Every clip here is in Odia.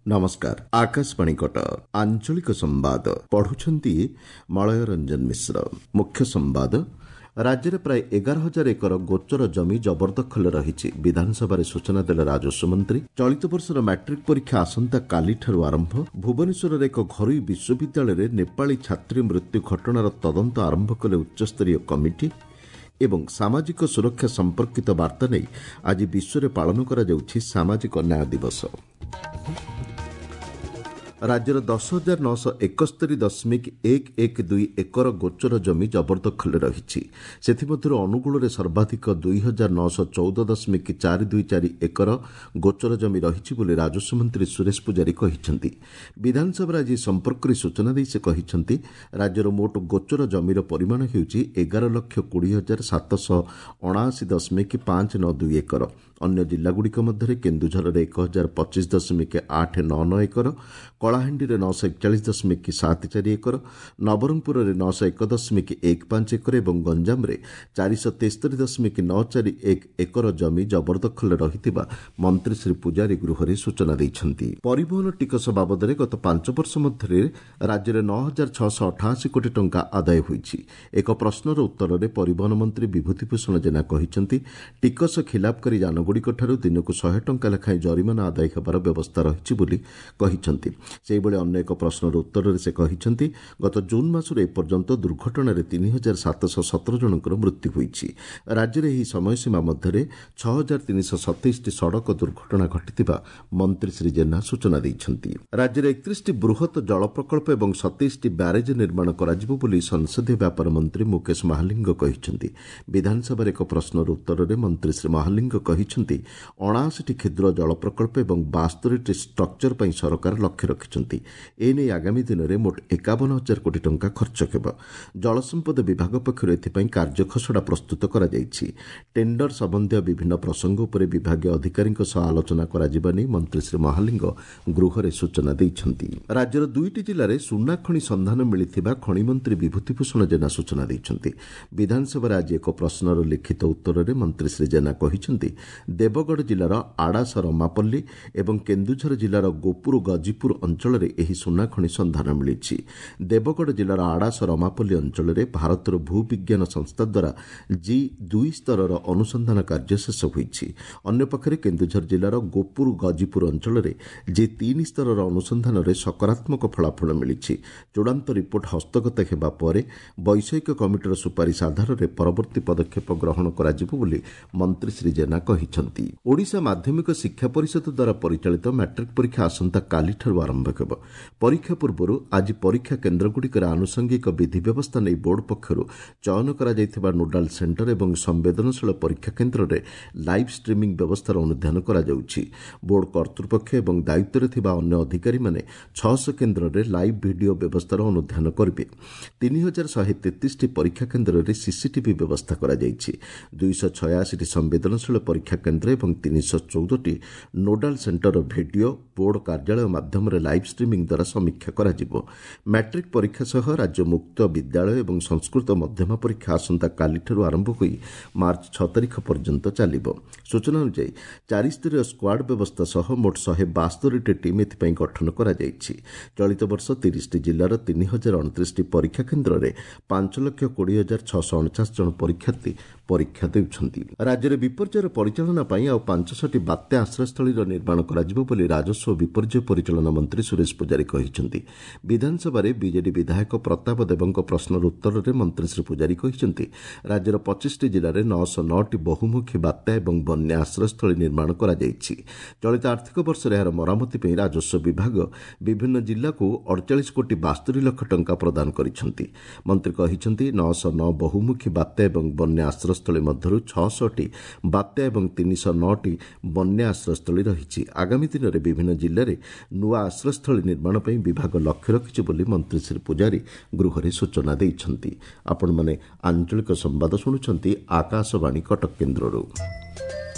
ନମସ୍କାର, ଆକାଶବାଣୀ କଟକ। ଆଞ୍ଚଳିକ ସମ୍ବାଦ ପଢୁଛନ୍ତି ମଳୟ ରଞ୍ଜନ ମିଶ୍ର। ମୁଖ୍ୟ ସମ୍ବାଦ। ରାଜ୍ୟରେ ପ୍ରାୟ 11,000 ଏକର ଗୋଚର ଜମି ଜବରଦଖଲରେ ରହିଛି, ବିଧାନସଭାରେ ସୂଚନା ଦେଲେ ରାଜସ୍ୱ ମନ୍ତ୍ରୀ। ଚଳିତ ବର୍ଷର ମାଟ୍ରିକ୍ ପରୀକ୍ଷା ଆସନ୍ତାକାଲିଠାରୁ ଆରମ୍ଭ। ଭୁବନେଶ୍ୱରର ଏକ ଘରୋଇ ବିଶ୍ୱବିଦ୍ୟାଳୟରେ ନେପାଳୀ ଛାତ୍ରୀ ମୃତ୍ୟୁ ଘଟଣାର ତଦନ୍ତ ଆରମ୍ଭ କଲେ ଉଚ୍ଚସ୍ତରୀୟ କମିଟି। ଏବଂ ସାମାଜିକ ସୁରକ୍ଷା ସମ୍ପର୍କିତ ବାର୍ତ୍ତା ନେଇ ଆଜି ବିଶ୍ୱରେ ପାଳନ କରାଯାଉଛି ସାମାଜିକ ନ୍ୟାୟ ଦିବସ। ରାଜ୍ୟର 10,971.112 ଏକର ଗୋଚର ଜମି ଜବରଦଖଲରେ ରହିଛି। ସେଥିମଧ୍ୟରୁ ଅନୁଗୁଳରେ ସର୍ବାଧିକ 2,914.424 ଏକର ଗୋଚର ଜମି ରହିଛି ବୋଲି ରାଜସ୍ୱ ମନ୍ତ୍ରୀ ସୁରେଶ ପୂଜାରୀ କହିଛନ୍ତି। ବିଧାନସଭାରେ ଆଜି ଏ ସମ୍ପର୍କରେ ସୂଚନା ଦେଇ ସେ କହିଛନ୍ତି, ରାଜ୍ୟର ମୋଟ ଗୋଚର ଜମିର ପରିମାଣ ହେଉଛି 11,20,779.592 ଏକର। ଅନ୍ୟ ଜିଲ୍ଲାଗୁଡ଼ିକ ମଧ୍ୟରେ କେନ୍ଦୁଝରରେ 1,025.899 ଏକର, କଳାହାଣ୍ଡିରେ 941.74 ଏକର, ନବରଙ୍ଗପୁରରେ 901.15 ଏକର ଏବଂ ଗଞ୍ଜାମରେ 473.941 ଏକର ଜମି ଜବରଦଖଲରେ ରହିଥିବା ମନ୍ତ୍ରୀ ଶ୍ରୀ ପୂଜାରୀ ଗୃହରେ ସୂଚନା ଦେଇଛନ୍ତି। ପରିବହନ ଟିକସ ବାବଦରେ ଗତ 5 ବର୍ଷ ମଧ୍ୟରେ ରାଜ୍ୟରେ 9,688 କୋଟି ଟଙ୍କା ଆଦାୟ ହୋଇଛି। ଏକ ପ୍ରଶ୍ନର ଉତ୍ତରରେ ପରିବହନ ମନ୍ତ୍ରୀ ବିଭୂତି ଭୂଷଣ ଜେନା କହିଛନ୍ତି, ଟିକସ ଖିଲାପକାରୀ ଯାନଗୁଡ଼ିକଠାରୁ ଦିନକୁ 100 ଟଙ୍କା ଲେଖାଏଁ ଜରିମାନା ଆଦାୟ ହେବାର ବ୍ୟବସ୍ଥା ରହିଛି ବୋଲି କହିଛନ୍ତି। ସେହିଭଳି ଅନ୍ୟ ଏକ ପ୍ରଶ୍ନର ଉତ୍ତରରେ ସେ କହିଛନ୍ତି, ଗତ ଜୁନ୍ ମାସରୁ ଏପର୍ଯ୍ୟନ୍ତ ଦୁର୍ଘଟଣାରେ 3,717 ଜଣଙ୍କର ମୃତ୍ୟୁ ହୋଇଛି। ରାଜ୍ୟରେ ଏହି ସମୟସୀମା ମଧ୍ୟରେ 6,327ଟି ସଡ଼କ ଦୁର୍ଘଟଣା ଘଟିଥିବା ମନ୍ତ୍ରୀ ଶ୍ରୀ ଜେନା ସୂଚନା ଦେଇଛନ୍ତି। ରାଜ୍ୟରେ 31ଟି ବୃହତ ଜଳ ପ୍ରକଳ୍ପ ଏବଂ 27ଟି ବ୍ୟାରେଜ ନିର୍ମାଣ କରାଯିବ ବୋଲି ସଂସଦୀୟ ବ୍ୟାପାର ମନ୍ତ୍ରୀ ମୁକେଶ ମହାଲିଙ୍ଗ କହିଛନ୍ତି। ବିଧାନସଭାରେ ଏକ ପ୍ରଶ୍ନର ଉତ୍ତରରେ ମନ୍ତ୍ରୀ ଶ୍ରୀ ମହାଲିଙ୍ଗ କହିଛନ୍ତି, 79ଟି କ୍ଷୁଦ୍ର ଜଳ ପ୍ରକଳ୍ପ ଏବଂ 72ଟି ଷ୍ଟ୍ରକ୍ଚର ପାଇଁ ସରକାର ଲକ୍ଷ୍ୟ ରଖିଛନ୍ତି। ଏନେଇ ଆଗାମୀ ଦିନରେ ମୋଟ 51,000 କୋଟି ଟଙ୍କା ଖର୍ଚ୍ଚ ହେବ। ଜଳସମ୍ପଦ ବିଭାଗ ପକ୍ଷରୁ ଏଥିପାଇଁ କାର୍ଯ୍ୟଖସଡ଼ା ପ୍ରସ୍ତୁତ କରାଯାଇଛି। ଟେଣ୍ଡର ସମ୍ବନ୍ଧୀୟ ବିଭିନ୍ନ ପ୍ରସଙ୍ଗ ଉପରେ ବିଭାଗୀୟ ଅଧିକାରୀଙ୍କ ସହ ଆଲୋଚନା କରାଯିବା ନେଇ ମନ୍ତ୍ରୀ ଶ୍ରୀ ମହାଲିଙ୍ଗ ଗୃହରେ ସୂଚନା ଦେଇଛନ୍ତି। ରାଜ୍ୟର 2ଟି ଜିଲ୍ଲାରେ ସୁନା ଖଣି ସନ୍ଧାନ ମିଳିଥିବା ଖଣିମନ୍ତ୍ରୀ ବିଭୂତିଭୂଷଣ ଜେନା ସୂଚନା ଦେଇଛନ୍ତି। ବିଧାନସଭାରେ ଆଜି ଏକ ପ୍ରଶ୍ନର ଲିଖିତ ଉତ୍ତରରେ ମନ୍ତ୍ରୀ ଶ୍ରୀ ଜେନା କହିଛନ୍ତି, ଦେବଗଡ଼ ଜିଲ୍ଲାର ଆଡ଼ାସ ରମାପଲ୍ଲୀ ଏବଂ କେନ୍ଦୁଝର ଜିଲ୍ଲାର ଗୋପୁର ଗଜିପୁର ଅଞ୍ଚଳରେ ଏହି ସୁନାଖଣି ସନ୍ଧାନ ମିଳିଛି। ଦେବଗଡ଼ ଜିଲ୍ଲାର ଆଡ଼ାସ ରମାପଲ୍ଲୀ ଅଞ୍ଚଳରେ ଭାରତର ଭୂବିଜ୍ଞାନ ସଂସ୍ଥା ଦ୍ୱାରା ଜି 2 ସ୍ତରର ଅନୁସନ୍ଧାନ କାର୍ଯ୍ୟ ଶେଷ ହୋଇଛି। ଅନ୍ୟପକ୍ଷରେ କେନ୍ଦୁଝର ଜିଲ୍ଲାର ଗୋପୁର ଗଜିପୁର ଅଞ୍ଚଳରେ ଜି 3 ସ୍ତରର ଅନୁସନ୍ଧାନରେ ସକାରାତ୍ମକ ଫଳାଫଳ ମିଳିଛି। ଚୂଡ଼ାନ୍ତ ରିପୋର୍ଟ ହସ୍ତଗତ ହେବା ପରେ ବୈଷୟିକ କମିଟିର ସୁପାରିଶ ଆଧାରରେ ପରବର୍ତ୍ତୀ ପଦକ୍ଷେପ ଗ୍ରହଣ କରାଯିବ ବୋଲି ମନ୍ତ୍ରୀ ଶ୍ରୀ ଜେନା କହିଛନ୍ତି। ଓଡ଼ିଶା ମାଧ୍ୟମିକ ଶିକ୍ଷା ପରିଷଦ ଦ୍ୱାରା ପରିଚାଳିତ ମାଟ୍ରିକ୍ ପରୀକ୍ଷା ଆସନ୍ତାକାଲିଠାରୁ ଆରମ୍ଭ ହେବ। ପରୀକ୍ଷା ପୂର୍ବରୁ ଆଜି ପରୀକ୍ଷା କେନ୍ଦ୍ରଗୁଡ଼ିକରେ ଆନୁଷଙ୍ଗିକ ବିଧି ବ୍ୟବସ୍ଥା ନେଇ ବୋର୍ଡ ପକ୍ଷରୁ ଚୟନ କରାଯାଇଥିବା ନୋଡାଲ ସେଣ୍ଟର ଏବଂ ସମ୍ବେଦନଶୀଳ ପରୀକ୍ଷା କେନ୍ଦ୍ରରେ ଲାଇଭ୍ ଷ୍ଟ୍ରିମିଂ ବ୍ୟବସ୍ଥାର ଅନୁଧ୍ୟାନ କରାଯାଉଛି। ବୋର୍ଡ କର୍ତ୍ତୃପକ୍ଷ ଏବଂ ଦାୟିତ୍ୱରେ ଥିବା ଅନ୍ୟ ଅଧିକାରୀମାନେ 600 କେନ୍ଦ୍ରରେ ଲାଇଭ୍ ଭିଡିଓ ବ୍ୟବସ୍ଥାର ଅନୁଧ୍ୟାନ କରିବେ। 3,133ଟି ପରୀକ୍ଷା କେନ୍ଦ୍ରରେ ସିସିଟିଭି ବ୍ୟବସ୍ଥା କରାଯାଇଛି। 286ଟି ସମ୍ବେଦନଶୀଳ ପରୀକ୍ଷା କେନ୍ଦ୍ର ଏବଂ 314ଟି ନୋଡାଲ ସେଣ୍ଟରର ଭିଡିଓ ବୋର୍ଡ କାର୍ଯ୍ୟାଳୟ ମାଧ୍ୟମରେ ଲାଇଭ୍ ଷ୍ଟ୍ରିମିଂ ଦ୍ୱାରା ସମୀକ୍ଷା କରାଯିବ। ମାଟ୍ରିକ୍ ପରୀକ୍ଷା ସହ ରାଜ୍ୟ ମୁକ୍ତ ବିଦ୍ୟାଳୟ ଏବଂ ସଂସ୍କୃତ ମଧ୍ୟମା ପରୀକ୍ଷା ଆସନ୍ତାକାଲିଠାରୁ ଆରମ୍ଭ ହୋଇ ମାର୍ଚ୍ଚ 6 ତାରିଖ ପର୍ଯ୍ୟନ୍ତ ଚାଲିବ। ସୂଚନା ଅନୁଯାୟୀ 4ସ୍ତରୀୟ ସ୍କ୍ୱାଡ୍ ବ୍ୟବସ୍ଥା ସହ ମୋଟ 172ଟି ଟିମ୍ ଏଥିପାଇଁ ଗଠନ କରାଯାଇଛି। ଚଳିତ ବର୍ଷ 30ଟି ଜିଲ୍ଲାର 3,029ଟି ପରୀକ୍ଷା କେନ୍ଦ୍ରରେ 5,20,649 ଜଣ ପରୀକ୍ଷାର୍ଥୀ ପରୀକ୍ଷା ଦେଉଛନ୍ତି। ରାଜ୍ୟରେ ବିପର୍ଯ୍ୟୟର ପରିଚାଳନା ପାଇଁ ଆଉ 500ଟି ବାତ୍ୟା ଆଶ୍ରୟସ୍ଥଳୀର ନିର୍ମାଣ କରାଯିବ ବୋଲି ରାଜସ୍ୱ ଓ ବିପର୍ଯ୍ୟୟ ପରିଚାଳନା ମନ୍ତ୍ରୀ ସୁରେଶ ପୂଜାରୀ କହିଛନ୍ତି। ବିଧାନସଭାରେ ବିଜେଡି ବିଧାୟକ ପ୍ରତାପ ଦେବଙ୍କ ପ୍ରଶ୍ନର ଉତ୍ତରରେ ମନ୍ତ୍ରୀ ଶ୍ରୀ ପୂଜାରୀ କହିଛନ୍ତି, ରାଜ୍ୟର 25ଟି ଜିଲ୍ଲାରେ 909ଟି ବହୁମୁଖୀ ବାତ୍ୟା ଏବଂ ବନ୍ୟା ଆଶ୍ରୟସ୍ଥଳୀ ନିର୍ମାଣ କରାଯାଇଛି। ଚଳିତ ଆର୍ଥିକ ବର୍ଷରେ ଏହାର ମରାମତି ପାଇଁ ରାଜସ୍ୱ ବିଭାଗ ବିଭିନ୍ନ ଜିଲ୍ଲାକୁ 48 କୋଟି 72 ଲକ୍ଷ ଟଙ୍କା ପ୍ରଦାନ କରିଛନ୍ତି। ମନ୍ତ୍ରୀ କହିଛନ୍ତି, 909 ବହୁମୁଖୀ ବାତ୍ୟା ଏବଂ ବନ୍ୟା ଆଶ୍ରୟସ୍ଥଳୀ ମଧ୍ୟରୁ 600ଟି ବାତ୍ୟା ଏବଂ 309ଟି ବନ୍ୟା ଆଶ୍ରୟସ୍ଥଳୀ ରହିଛି। ଆଗାମୀ ଦିନରେ ବିଭିନ୍ନ ଜିଲ୍ଲାରେ ନୂଆ ଆଶ୍ରୟସ୍ଥଳୀ ନିର୍ମାଣ ପାଇଁ ବିଭାଗ ଲକ୍ଷ୍ୟ ରଖିଛି ବୋଲି ମନ୍ତ୍ରୀ ଶ୍ରୀ ପୂଜାରୀ ଗୃହରେ ସୂଚନା ଦେଇଛନ୍ତି। ଆପଣମାନେ ଆଞ୍ଚଳିକ ସମ୍ବାଦ ଶୁଣୁଛନ୍ତି ଆକାଶବାଣୀ କଟକ କେନ୍ଦ୍ରରୁ।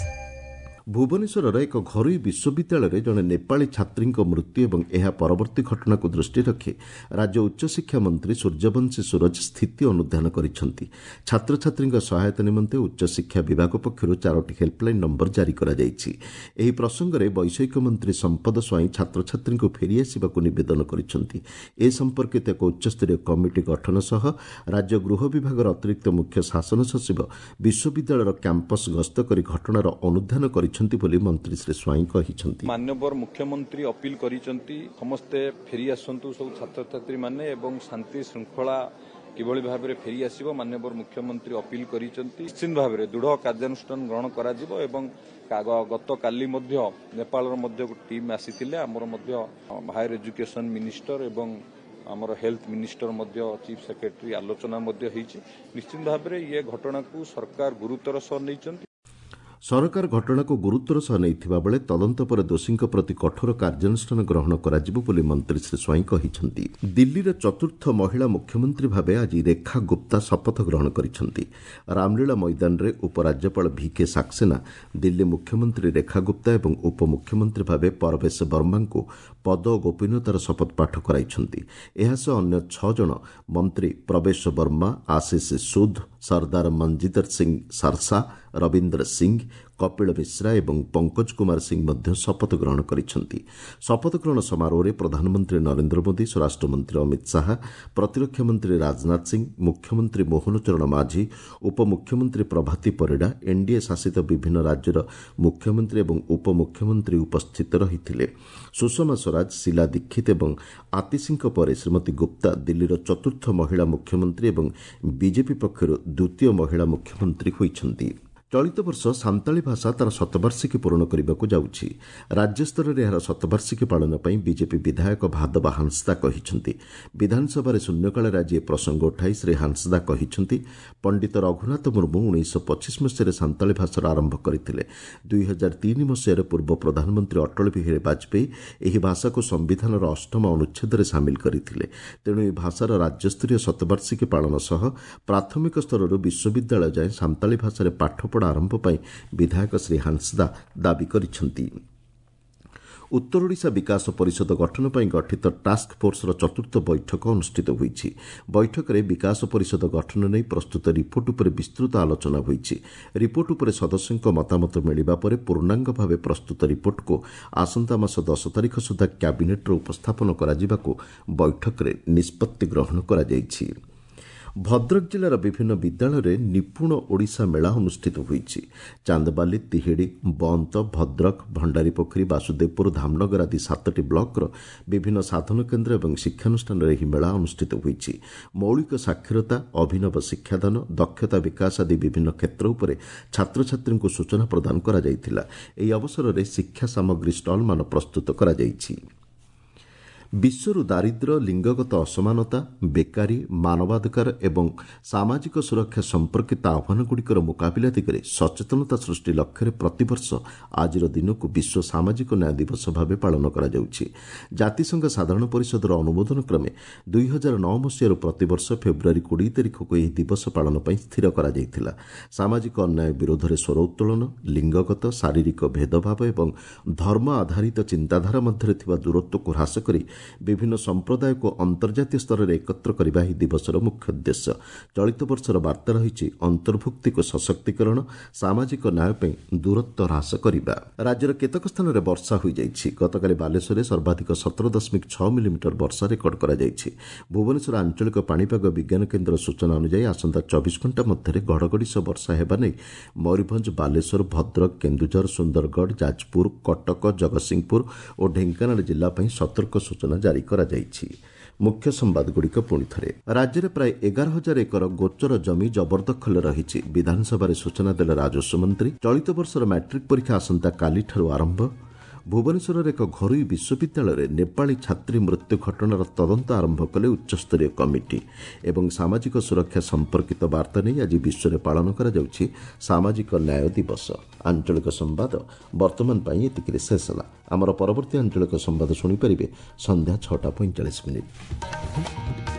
ଭୁବନେଶ୍ୱରର ଏକ ଘରୋଇ ବିଶ୍ୱବିଦ୍ୟାଳୟରେ ଜଣେ ନେପାଳୀ ଛାତ୍ରୀଙ୍କ ମୃତ୍ୟୁ ଏବଂ ଏହା ପରବର୍ତ୍ତୀ ଘଟଣାକୁ ଦୃଷ୍ଟିରେ ରଖି ରାଜ୍ୟ ଉଚ୍ଚଶିକ୍ଷା ମନ୍ତ୍ରୀ ସୂର୍ଯ୍ୟବଂଶୀ ସୂରଜ ସ୍ଥିତି ଅନୁଧ୍ୟାନ କରିଛନ୍ତି। ଛାତ୍ରଛାତ୍ରୀଙ୍କ ସହାୟତା ନିମନ୍ତେ ଉଚ୍ଚଶିକ୍ଷା ବିଭାଗ ପକ୍ଷରୁ 4ଟି ହେଲ୍ପଲାଇନ୍ ନମ୍ବର ଜାରି କରାଯାଇଛି। ଏହି ପ୍ରସଙ୍ଗରେ ବୈଷୟିକ ମନ୍ତ୍ରୀ ସମ୍ପଦ ସ୍ୱାଇଁ ଛାତ୍ରଛାତ୍ରୀଙ୍କୁ ଫେରିଆସିବାକୁ ନିବେଦନ କରିଛନ୍ତି। ଏ ସମ୍ପର୍କିତ ଏକ ଉଚ୍ଚସ୍ତରୀୟ କମିଟି ଗଠନ ସହ ରାଜ୍ୟ ଗୃହ ବିଭାଗର ଅତିରିକ୍ତ ମୁଖ୍ୟ ଶାସନ ସଚିବ ବିଶ୍ୱବିଦ୍ୟାଳୟର କ୍ୟାମ୍ପସ୍ ଗସ୍ତ କରି ଘଟଣାର ଅନୁଧ୍ୟାନ କରିଛନ୍ତି ବୋଲି ମନ୍ତ୍ରୀ ଶ୍ରୀ ସ୍ୱାଇଁ କହିଛନ୍ତି। ମାନ୍ୟବର ମୁଖ୍ୟମନ୍ତ୍ରୀ ଅପିଲ କରିଛନ୍ତି ସମସ୍ତେ ଫେରି ଆସନ୍ତୁ ସବୁ ଛାତ୍ରଛାତ୍ରୀମାନେ ଏବଂ ଶାନ୍ତି ଶୃଙ୍ଖଳା କିଭଳି ଭାବରେ ଫେରି ଆସିବ ମାନ୍ୟବର ମୁଖ୍ୟମନ୍ତ୍ରୀ ଅପିଲ କରିଛନ୍ତି। ନିଶ୍ଚିତ ଭାବରେ ଦୃଢ଼ କାର୍ଯ୍ୟାନୁଷ୍ଠାନ ଗ୍ରହଣ କରାଯିବ ଏବଂ ଗତକାଲି ମଧ୍ୟ ନେପାଳର ମଧ୍ୟ ଗୋଟେ ଟିମ୍ ଆସିଥିଲେ। ଆମର ମଧ୍ୟ ହାୟର ଏଜୁକେସନ ମିନିଷ୍ଟର ଏବଂ ଆମର ହେଲ୍ଥ ମିନିଷ୍ଟର ମଧ୍ୟ ଚିଫ୍ ସେକ୍ରେଟାରୀ ଆଲୋଚନା ମଧ୍ୟ ହେଇଛି। ନିଶ୍ଚିତ ଭାବରେ ଇଏ ଘଟଣାକୁ ସରକାର ଗୁରୁତର ସହ ନେଇଛନ୍ତି। ସରକାର ଘଟଣାକୁ ଗୁରୁତ୍ୱର ସହ ନେଇଥିବା ବେଳେ ତଦନ୍ତ ପରେ ଦୋଷୀଙ୍କ ପ୍ରତି କଠୋର କାର୍ଯ୍ୟାନୁଷ୍ଠାନ ଗ୍ରହଣ କରାଯିବ ବୋଲି ମନ୍ତ୍ରୀ ଶ୍ରୀ ସ୍ୱାଇଁ କହିଛନ୍ତି। ଦିଲ୍ଲୀର ଚତୁର୍ଥ ମହିଳା ମୁଖ୍ୟମନ୍ତ୍ରୀ ଭାବେ ଆଜି ରେଖା ଗୁପ୍ତା ଶପଥ ଗ୍ରହଣ କରିଛନ୍ତି। ରାମଲୀଳା ମଇଦାନରେ ଉପରାଜ୍ୟପାଳ ଭିକେ ସାକ୍ସେନା ଦିଲ୍ଲୀ ମୁଖ୍ୟମନ୍ତ୍ରୀ ରେଖା ଗୁପ୍ତା ଏବଂ ଉପମୁଖ୍ୟମନ୍ତ୍ରୀ ଭାବେ ପରବେଶ ବର୍ମାଙ୍କୁ ପଦ ଓ ଗୋପନୀୟତାର ଶପଥ ପାଠ କରାଇଛନ୍ତି। ଏହାସହ ଅନ୍ୟ 6 ଜଣ ମନ୍ତ୍ରୀ ପ୍ରବେଶ ବର୍ମା, ଆଶିଷ ସୁଦ୍, ସର୍ଦ୍ଦାର ମଞ୍ଜିଦର ସିଂ ସାରସା, ରବୀନ୍ଦ୍ର ସିଂ, କପିଳ ମିଶ୍ରା ଏବଂ ପଙ୍କଜ କୁମାର ସିଂ ମଧ୍ୟ ଶପଥ ଗ୍ରହଣ କରିଛନ୍ତି। ଶପଥ ଗ୍ରହଣ ସମାରୋହରେ ପ୍ରଧାନମନ୍ତ୍ରୀ ନରେନ୍ଦ୍ର ମୋଦି, ସ୍ୱରାଷ୍ଟ୍ରମନ୍ତ୍ରୀ ଅମିତ ଶାହା, ପ୍ରତିରକ୍ଷା ମନ୍ତ୍ରୀ ରାଜନାଥ ସିଂ, ମୁଖ୍ୟମନ୍ତ୍ରୀ ମୋହନ ଚରଣ ମାଝୀ, ଉପମୁଖ୍ୟମନ୍ତ୍ରୀ ପ୍ରଭାତୀ ପରିଡ଼ା, ଏନ୍ଡିଏ ଶାସିତ ବିଭିନ୍ନ ରାଜ୍ୟର ମୁଖ୍ୟମନ୍ତ୍ରୀ ଏବଂ ଉପମୁଖ୍ୟମନ୍ତ୍ରୀ ଉପସ୍ଥିତ ରହିଥିଲେ। ସୁଷମା ସ୍ୱରାଜ, ଶିଲା ଦୀକ୍ଷିତ ଏବଂ ଆତିଶୀଙ୍କ ପରେ ଶ୍ରୀମତୀ ଗୁପ୍ତା ଦିଲ୍ଲୀର ଚତୁର୍ଥ ମହିଳା ମୁଖ୍ୟମନ୍ତ୍ରୀ ଏବଂ ବିଜେପି ପକ୍ଷରୁ ଦ୍ୱିତୀୟ ମହିଳା ମୁଖ୍ୟମନ୍ତ୍ରୀ ହୋଇଛନ୍ତି। ଚଳିତ ବର୍ଷ ସାନ୍ତାଳୀ ଭାଷା ତା'ର ଶତବାର୍ଷିକୀ ପୂରଣ କରିବାକୁ ଯାଉଛି। ରାଜ୍ୟସ୍ତରରେ ଏହାର ଶତବାର୍ଷିକୀ ପାଳନ ପାଇଁ ବିଜେପି ବିଧାୟକ ଭାଦବା ହାଁସଦା କହିଛନ୍ତି। ବିଧାନସଭାରେ ଶୂନ୍ୟକାଳରେ ଆଜି ଏ ପ୍ରସଙ୍ଗ ଉଠାଇ ଶ୍ରୀ ହାଁସଦା କହିଛନ୍ତି, ପଣ୍ଡିତ ରଘୁନାଥ ମୁର୍ମୁ 1925 ମସିହାରେ ସାନ୍ତାଳୀ ଭାଷାର ଆରମ୍ଭ କରିଥିଲେ। 2003 ମସିହାରେ ପୂର୍ବ ପ୍ରଧାନମନ୍ତ୍ରୀ ଅଟଳ ବିହାରୀ ବାଜପେୟୀ ଏହି ଭାଷାକୁ ସମ୍ବିଧାନର 8ମ ଅନୁଚ୍ଛେଦରେ ସାମିଲ କରିଥିଲେ। ତେଣୁ ଏହି ଭାଷାର ରାଜ୍ୟସ୍ତରୀୟ ଶତବାର୍ଷିକୀ ପାଳନ ସହ ପ୍ରାଥମିକ ସ୍ତରରୁ ବିଶ୍ୱବିଦ୍ୟାଳୟ ଯାଏଁ ସାନ୍ତାଳୀ ଭାଷାରେ ପାଠପଢ଼ା ଆରମ୍ଭ ପାଇଁ ବିଧାୟକ ଶ୍ରୀ ହାଁସଦା ଦାବି କରିଛନ୍ତି। ଉତ୍ତର ଓଡ଼ିଶା ବିକାଶ ପରିଷଦ ଗଠନ ପାଇଁ ଗଠିତ ଟାସ୍କ ଫୋର୍ସର ଚତୁର୍ଥ ବୈଠକ ଅନୁଷ୍ଠିତ ହୋଇଛି। ବୈଠକରେ ବିକାଶ ପରିଷଦ ଗଠନ ନେଇ ପ୍ରସ୍ତୁତ ରିପୋର୍ଟ ଉପରେ ବିସ୍ତୃତ ଆଲୋଚନା ହୋଇଛି। ରିପୋର୍ଟ ଉପରେ ସଦସ୍ୟଙ୍କ ମତାମତ ମିଳିବା ପରେ ପୂର୍ଣ୍ଣାଙ୍ଗ ଭାବେ ପ୍ରସ୍ତୁତ ରିପୋର୍ଟକୁ ଆସନ୍ତା ମାସ 10 ତାରିଖ ସୁଦ୍ଧା କ୍ୟାବିନେଟ୍ରେ ଉପସ୍ଥାପନ କରାଯିବାକୁ ବୈଠକରେ ନିଷ୍ପତ୍ତି ଗ୍ରହଣ କରାଯାଇଛି। ଭଦ୍ରକ ଜିଲ୍ଲାର ବିଭିନ୍ନ ବିଦ୍ୟାଳୟରେ ନିପୁଣ ଓଡ଼ିଶା ମେଳା ଅନୁଷ୍ଠିତ ହୋଇଛି। ଚାନ୍ଦବାଲି, ତିହିଡ଼ି, ବନ୍ତ, ଭଦ୍ରକ, ଭଣ୍ଡାରୀପୋଖରୀ, ବାସୁଦେବପୁର, ଧାମନଗର ଆଦି 7ଟି ବ୍ଲକର ବିଭିନ୍ନ ସାଧନ କେନ୍ଦ୍ର ଏବଂ ଶିକ୍ଷାନୁଷ୍ଠାନରେ ଏହି ମେଳା ଅନୁଷ୍ଠିତ ହୋଇଛି। ମୌଳିକ ସାକ୍ଷରତା, ଅଭିନବ ଶିକ୍ଷାଦାନ, ଦକ୍ଷତା ବିକାଶ ଆଦି ବିଭିନ୍ନ କ୍ଷେତ୍ର ଉପରେ ଛାତ୍ରଛାତ୍ରୀଙ୍କୁ ସୂଚନା ପ୍ରଦାନ କରାଯାଇଥିଲା। ଏହି ଅବସରରେ ଶିକ୍ଷା ସାମଗ୍ରୀ ଷ୍ଟଲ୍ମାନ ପ୍ରସ୍ତୁତ କରାଯାଇଛି। ବିଶ୍ୱରୁ ଦାରିଦ୍ର୍ୟ, ଲିଙ୍ଗଗତ ଅସମାନତା, ବେକାରୀ, ମାନବାଧିକାର ଏବଂ ସାମାଜିକ ସୁରକ୍ଷା ସମ୍ପର୍କିତ ଆହ୍ୱାନଗୁଡ଼ିକର ମୁକାବିଲା ଦିଗରେ ସଚେତନତା ସୃଷ୍ଟି ଲକ୍ଷ୍ୟରେ ପ୍ରତିବର୍ଷ ଆଜିର ଦିନକୁ ବିଶ୍ୱ ସାମାଜିକ ନ୍ୟାୟ ଦିବସ ଭାବେ ପାଳନ କରାଯାଉଛି। ଜାତିସଂଘ ସାଧାରଣ ପରିଷଦର ଅନୁମୋଦନ କ୍ରମେ 2009 ମସିହାରୁ ପ୍ରତିବର୍ଷ ଫେବୃଆରୀ 20 ତାରିଖକୁ ଏହି ଦିବସ ପାଳନ ପାଇଁ ସ୍ଥିର କରାଯାଇଥିଲା। ସାମାଜିକ ଅନ୍ୟାୟ ବିରୋଧରେ ସ୍ୱର ଉତ୍ତୋଳନ, ଲିଙ୍ଗଗତ, ଶାରୀରିକ ଭେଦଭାବ ଏବଂ ଧର୍ମ ଆଧାରିତ ଚିନ୍ତାଧାରା ମଧ୍ୟରେ ଥିବା ଦୂରତ୍ୱକୁ ହ୍ରାସ କରି ବିଭିନ୍ନ ସମ୍ପ୍ରଦାୟକୁ ଅନ୍ତର୍ଜାତୀୟ ସ୍ତରରେ ଏକତ୍ର କରିବା ଏହି ଦିବସର ମୁଖ୍ୟ ଉଦ୍ଦେଶ୍ୟ। ଚଳିତ ବର୍ଷର ବାର୍ତ୍ତା ରହିଛି ଅନ୍ତର୍ଭୁକ୍ତିକୁ ସଶକ୍ତିକରଣ, ସାମାଜିକ ନ୍ୟାୟ ପାଇଁ ଦୂରତ୍ୱ ହ୍ରାସ କରିବା। ରାଜ୍ୟର କେତେକ ସ୍ଥାନରେ ବର୍ଷା ହୋଇଯାଇଛି। ଗତକାଲି ବାଲେଶ୍ୱରରେ ସର୍ବାଧିକ 17.6 ମିଲିମିଟର ବର୍ଷା ରେକର୍ଡ କରାଯାଇଛି। ଭୁବନେଶ୍ୱର ଆଞ୍ଚଳିକ ପାଣିପାଗ ବିଜ୍ଞାନ କେନ୍ଦ୍ର ସୂଚନା ଅନୁଯାୟୀ ଆସନ୍ତା 24 ଘଣ୍ଟା ମଧ୍ୟରେ ଘଡ଼ଘଡ଼ି ସହ ବର୍ଷା ହେବା ନେଇ ମୟୂରଭଞ୍ଜ, ବାଲେଶ୍ୱର, ଭଦ୍ରକ, କେନ୍ଦୁଝର, ସୁନ୍ଦରଗଡ଼, ଯାଜପୁର, କଟକ, ଜଗତସିଂହପୁର ଓ ଢେଙ୍କାନାଳ ଜିଲ୍ଲା ପାଇଁ ସତର୍କ ସୂଚନା ଜାରି କରାଯାଇଛି। ମୁଖ୍ୟ ସମ୍ବାଦଗୁଡ଼ିକ ପୁଣି ଥରେ। ରାଜ୍ୟରେ ପ୍ରାୟ 11,000 ଏକର ଗୋଚର ଜମି ଜବରଦଖଲରେ ରହିଛି। ବିଧାନସଭାରେ ସୂଚନା ଦେଲେ ରାଜସ୍ୱ ମନ୍ତ୍ରୀ। ଚଳିତ ବର୍ଷର ମାଟ୍ରିକ୍ ପରୀକ୍ଷା ଆସନ୍ତାକାଲିଠାରୁ ଆରମ୍ଭ। ଭୁବନେଶ୍ୱରର ଏକ ଘରୋଇ ବିଶ୍ୱବିଦ୍ୟାଳୟରେ ନେପାଳୀ ଛାତ୍ରୀ ମୃତ୍ୟୁ ଘଟଣାର ତଦନ୍ତ ଆରମ୍ଭ କଲେ ଉଚ୍ଚସ୍ତରୀୟ କମିଟି। ଏବଂ ସାମାଜିକ ସୁରକ୍ଷା ସମ୍ପର୍କିତ ବାର୍ତ୍ତା ନେଇ ଆଜି ବିଶ୍ୱରେ ପାଳନ କରାଯାଉଛି ସାମାଜିକ ନ୍ୟାୟ ଦିବସ। ଆଞ୍ଚଳିକ ସମ୍ବାଦ ବର୍ତ୍ତମାନ ପାଇଁ ଏତିକିରେ ଶେଷ ହେଲା। ଆମର ପରବର୍ତ୍ତୀ ଆଞ୍ଚଳିକ ସମ୍ବାଦ ଶୁଣିପାରିବେ ସନ୍ଧ୍ୟା 6:45।